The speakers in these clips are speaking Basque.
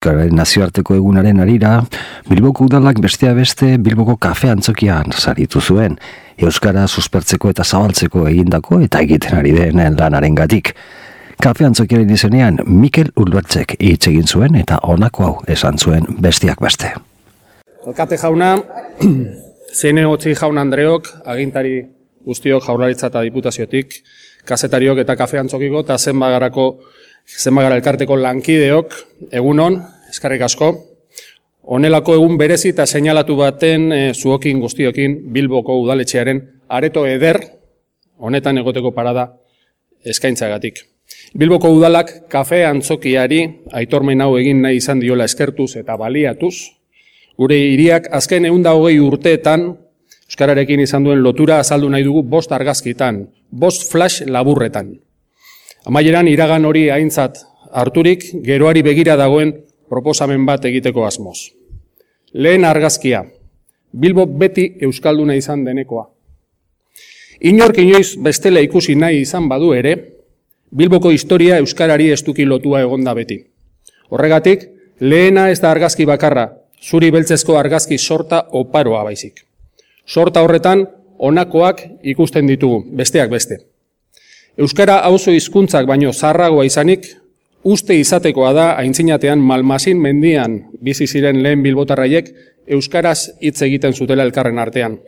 Euskararen nazioarteko egunaren harira, Bilboko udalak besteak beste Bilboko kafe antzokian saritu zuen, Euskara suspertzeko eta zabaltzeko egindako eta egiten ari denen lanarengatik. Kafe antzokiaren izenean Mikel Ulbertzek hitz egin zuen eta honako hau esan zuen besteak beste. Alkate jauna, Zinegotzi jaun Andreok, agintari guztiok Jaurlaritza eta Diputaziotik, kazetariok eta kafe antzokiko eta zenbagara elkarteko lankideok, egunon, eskerrik asko. Honelako egun berezi eta seinalatu baten zuokin guztiokin Bilboko udaletxearen areto eder, honetan egoteko parada eskaintzagatik. Bilboko udalak kafe antzokiari aitormen hau egin nahi izan diola eskertuz eta baliatuz, gure hiriak azken 120 urteetan euskararekin izan duen lotura azaldu nahi dugu 5 argazkitan, 5 flash laburretan. Amaieran iragan hori aintzat harturik, geroari begira dagoen proposamen bat egiteko asmoz. Lehen argazkia, Bilbo beti euskalduna izan denekoa. Inork inoiz bestela ikusi nahi izan badu ere, Bilboko historia euskarari estuki lotua egonda beti. Horregatik, lehena ez da argazki bakarra, zuri beltzezko argazki sorta oparoa baizik. Sorta horretan, honakoak ikusten ditugu, besteak beste. Euskara auzo hizkuntzak baino zaharragoa izanik, uste izatekoa da aintzinatean Malmasin mendian bizi ziren lehen bilbotarraiek euskaraz hitz egiten zutela elkarren artean.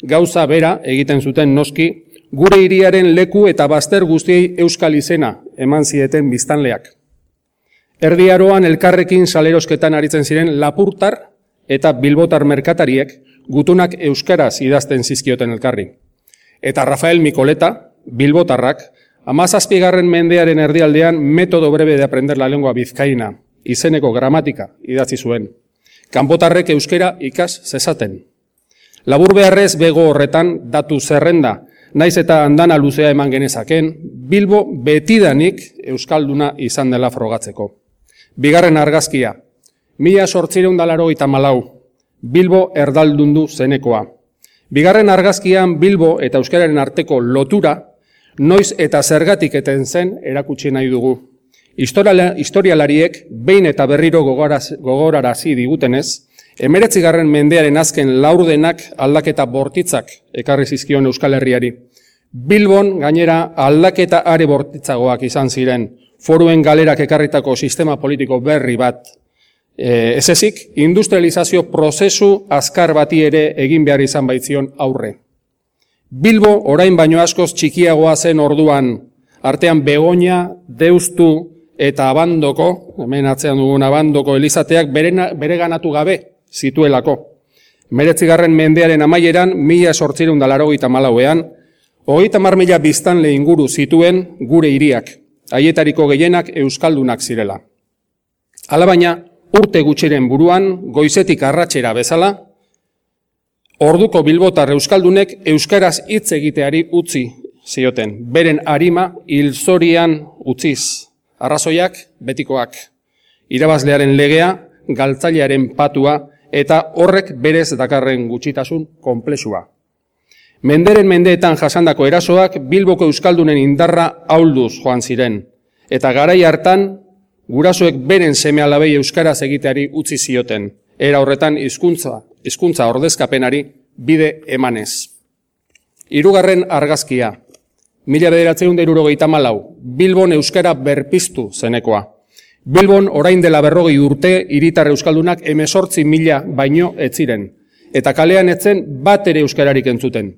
Gauza bera egiten zuten noski, gure hiriaren leku eta bazter guztiei euskal izena eman zieten biztanleak. Erdi Aroan elkarrekin salerosketan aritzen ziren lapurtar eta bilbotar merkatariek gutunak euskaraz idazten zizkioten elkarri. Eta Rafael Mikoleta, bilbotarrak, 17. mendearen erdialdean Método breve de aprender la lengua bizkaina, izeneko gramatika idatzi zuen. Kanpotarrek euskera ikas zezaten. Labur beharrez bego horretan datu zerrenda, naiz eta andana luzea eman genezaken, Bilbo betidanik euskalduna izan dela frogatzeko. Bigarren argazkia, 1884, Bilbo erdaldundu zenekoa. Bigarren argazkian Bilbo eta euskararen arteko lotura, noiz eta zergatik eten zen erakutsi nahi dugu. Historialariek behin eta berriro gogorarazi digutenez, 19. mendearen azken laurdenak aldaketa bortitzak ekarri zizkion Euskal Herriari. Bilbon gainera aldaketa are bortitzagoak izan ziren, foruen galerak ekarritako sistema politiko berri bat. Ez ezik, industrializazio prozesu azkar bati ere egin behar izan baitzion aurre. Bilbo orain baino askoz txikiagoa zen orduan, artean Begoña, Deustu eta Abandoko, hemen atzean dugun Abandoko elizateak bereganatu gabe zituelako. 19. mendearen amaieran, 1884ean, 30.000 biztanle inguru zituen gure hiriak, haietariko gehienak euskaldunak zirela. Alabaina, urte gutxiren buruan, goizetik arratsera bezala, orduko bilbotar euskaldunek euskaraz hitz egiteari utzi zioten, beren arima hilzorian utziz, arrazoiak betikoak, irabazlearen legea, galtzailearen patua eta horrek berez dakarren gutxitasun konplexua. Menderen mendeetan jasandako erasoak Bilboko euskaldunen indarra ahulduz joan ziren, eta garai hartan gurasoek beren seme-alabei euskaraz egiteari utzi zioten, era horretan hizkuntza ordezkapenari bide emanez. Hirugarren argazkia, 1974, Bilbon euskara berpiztu zenekoa. Bilbon orain dela 40 urte hiritar euskaldunak 18.000 baino ez ziren, eta kalean etzen bat ere euskararik entzuten.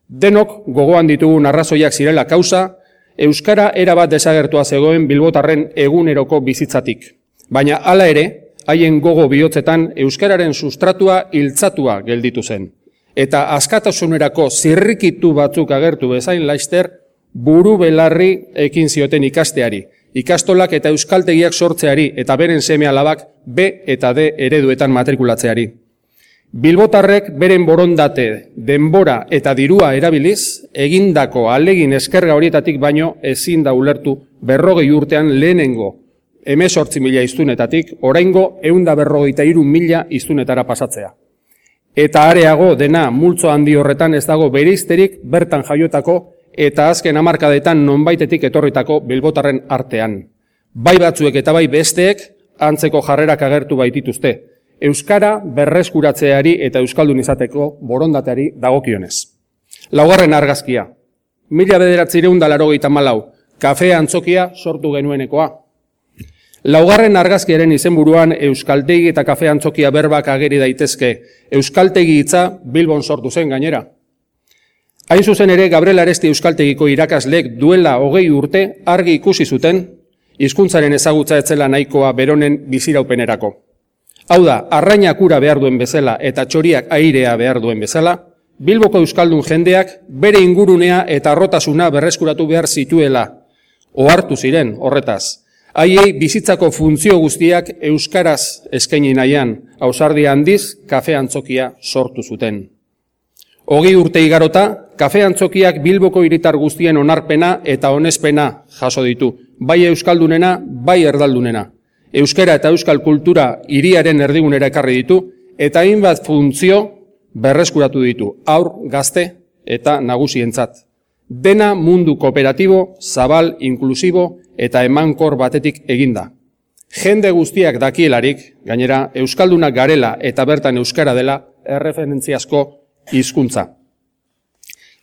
Denok gogoan ditugun arrazoiak zirela kausa, euskara erabat desagertua zegoen bilbotarren eguneroko bizitzatik. Baina hala ere, haien gogo bihotzetan euskararen sustratua hiltzatua gelditu zen. Eta askatasunerako zirrikitu batzuk agertu bezain laister, buru belarri ekin zioten ikasteari, ikastolak eta euskaltegiak sortzeari eta beren seme-alabak B eta D ereduetan matrikulatzeari. Bilbotarrek beren borondate, denbora eta dirua erabiliz, egindako ahalegin eskerga horietatik baino ezin da ulertu 40 urtean lehenengo 18.000 hiztunetatik, oraingo 153.000 hiztunetara pasatzea. Eta areago dena multzo handi horretan ez dago bereizterik bertan jaiotako eta azken hamarkadetan nonbaitetik etorritako bilbotarren artean. Bai batzuek eta bai besteek antzeko jarrerak agertu baitituzte, euskara berreskuratzeari eta euskaldun izateko borondateari dagokionez. Laugarren argazkia. 1984, kafe antzokia sortu genuenekoa. Laugarren argazkiaren izenburuan euskaltegi eta kafe antzokia berbak ageri daitezke. Euskaltegi hitza Bilbon sortu zen gainera. Hain zuzen ere, Gabriel Aresti euskaltegiko irakaslek duela 20 urte argi ikusi zuten hizkuntzaren ezagutza etzela nahikoa beronen biziraupenerako. Hau da, arrainak ura behar duen bezala eta txoriak airea behar duen bezala, Bilboko euskaldun jendeak bere ingurunea eta arrotasuna berreskuratu behar zituela. Ohartu ziren horretaz. Haiei bizitzako funtzio guztiak euskaraz eskaini nahian, ausardia handiz kafe antzokia sortu zuten. 20 urte igarota, kafe antzokiak Bilboko hiritar guztien onarpena eta onespena jaso ditu, bai euskaldunena, bai erdaldunena. Euskara eta euskal kultura hiriaren erdigunera ekarri ditu, eta hainbat funtzio berreskuratu ditu, haur, gazte eta nagusientzat. Dena mundu kooperatibo, zabal, inklusibo eta emankor batetik eginda. Jende guztiak dakielarik, gainera, euskaldunak garela eta bertan euskara dela erreferentziazko hizkuntza.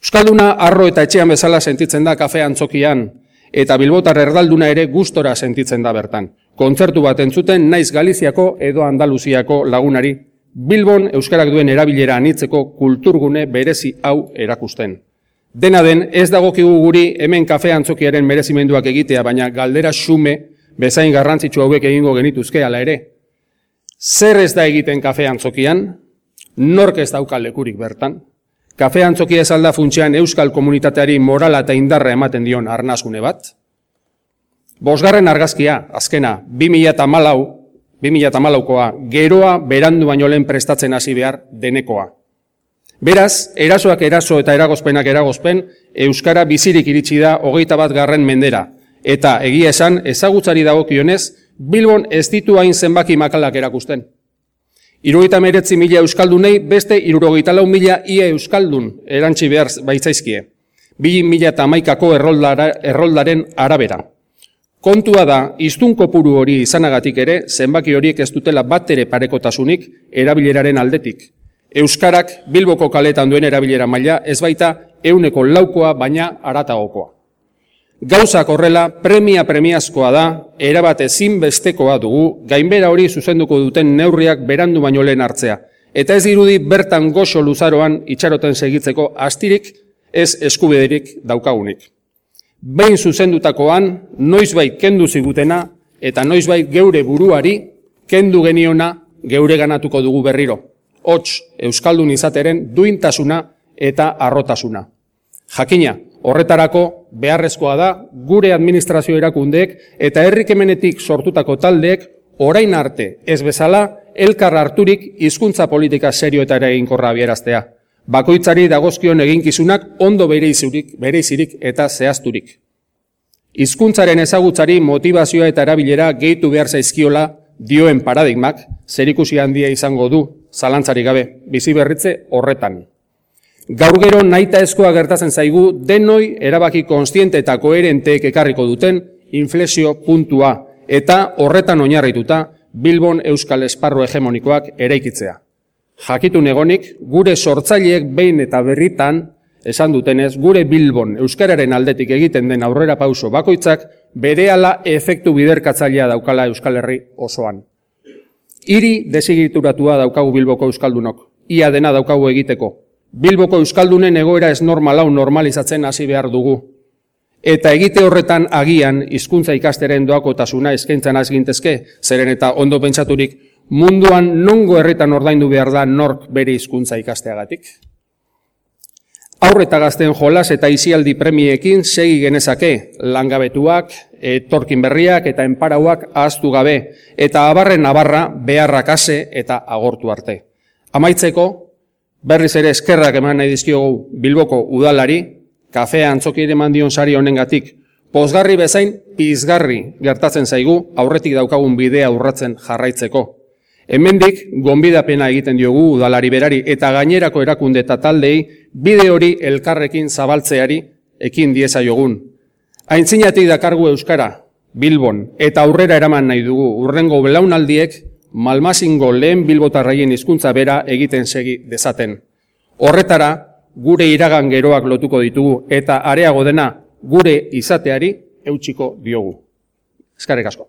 Euskalduna arro eta etxean bezala sentitzen da kafe antzokian, eta bilbotar erdalduna ere gustora sentitzen da bertan. Kontzertu bat entzuten naiz Galiziako edo Andaluziako lagunari, Bilbon euskarak duen erabilera anitzeko kulturgune berezi hau erakusten. Dena den, ez dagokigu guri hemen kafe antzokiaren merezimenduak egitea, baina galdera xume bezain garrantzitsu hauek egingo genituzke hala ere. Zer ez da egiten kafe antzokian? Nork ez dauka lekurik bertan? Kafe antzokia ez alda funtsean euskal komunitateari morala eta indarra ematen dion arnasgune bat? Bosgarren argazkia, azkena, 2014koa, geroa berandu baino lehen prestatzen hasi behar denekoa. Beraz, erasoak eraso eta eragozpenak eragozpen, euskara bizirik iritsi da 21. mendera. Eta egia esan, ezagutzari dagokionez, Bilbon ez ditu hain zenbaki makalak erakusten. 79.000 euskaldunei beste 64.000 ia euskaldun erantzi behar baitzaizkie. 2011ko erroldaren arabera. Kontua da, hiztun kopuru hori izanagatik ere, zenbaki horiek ez dutela batere parekotasunik erabileraren aldetik. Euskarak Bilboko kaletan duen erabilera maila ez baita 100%koa baina haratagokoa. Gauzak horrela premiazkoa da, erabat ezinbestekoa dugu, gainbera hori zuzenduko duten neurriak berandu baino lehen hartzea. Eta ez dirudi bertan goxo luzaroan itxaroten segitzeko astirik ez eskubiderik daukagunik. Behin zuzendutakoan, noizbait kendu zigutena eta noizbait geure buruari kendu geniona geure ganatuko dugu berriro. Hots, euskaldun izateren duintasuna eta arrotasuna. Jakina, horretarako beharrezkoa da gure administrazio erakundeek eta herrikemenetik sortutako taldeek orain arte ez bezala elkar harturik hizkuntza politika serio eta eraginkorra abieraztea. Bakoitzari dagozkion eginkizunak ondo bereizirik eta zehazturik. Hizkuntzaren ezagutzari motivazioa eta erabilera gehitu behar zaizkiola dioen paradigmak zerikusi handia izango du, zalantzarik gabe, bizi berritze horretan. Gaur gero nahitaezkoa gertatzen zaigu denoi erabaki kontziente eta koherenteek ekarriko duten inflexio puntua eta horretan oinarrituta Bilbon euskal esparru hegemonikoak eraikitzea. Jakitun egonik, gure sortzaileek behin eta berritan esan dutenez, gure Bilbon euskararen aldetik egiten den aurrera pauso bakoitzak berehala efektu biderkatzailea daukala Euskal Herri osoan. Hiri desigituratua daukagu Bilboko euskaldunok, ia dena daukagu egiteko. Bilboko euskaldunen egoera ez normalau normalizatzen hasi behar dugu. Eta egite horretan agian hizkuntza ikasteren doakotasuna eskaintzan azgintezke, zeren eta ondo pentsaturik munduan nongo herritan ordaindu behar da nork bere hizkuntza ikasteagatik. Haur eta gazten jolas eta isialdi premiekin segi genezake, langabetuak, etorkin berriak eta enparauak ahaztu gabe, eta abarren abarra beharrak ase eta agortu arte. Amaitzeko, berriz ere eskerrak eman nahi dizkiogu Bilboko udalari, kafea antzoki eman dion sari honengatik, pozgarri bezain pizgarri gertatzen zaigu aurretik daukagun bidea urratzen jarraitzeko. Hemendik gonbidapena egiten diogu udalari berari eta gainerako erakunde eta taldei bide hori elkarrekin zabaltzeari ekin diezaiogun. Aintzinatik dakargu euskara, Bilbon eta aurrera eraman nahi dugu urrengo belaunaldiek Malmasingo lehen bilbotarraien hizkuntza bera egiten segi dezaten. Horretara, gure iragan geroak lotuko ditugu eta areago dena gure izateari eutsiko diogu. Eskerrik asko.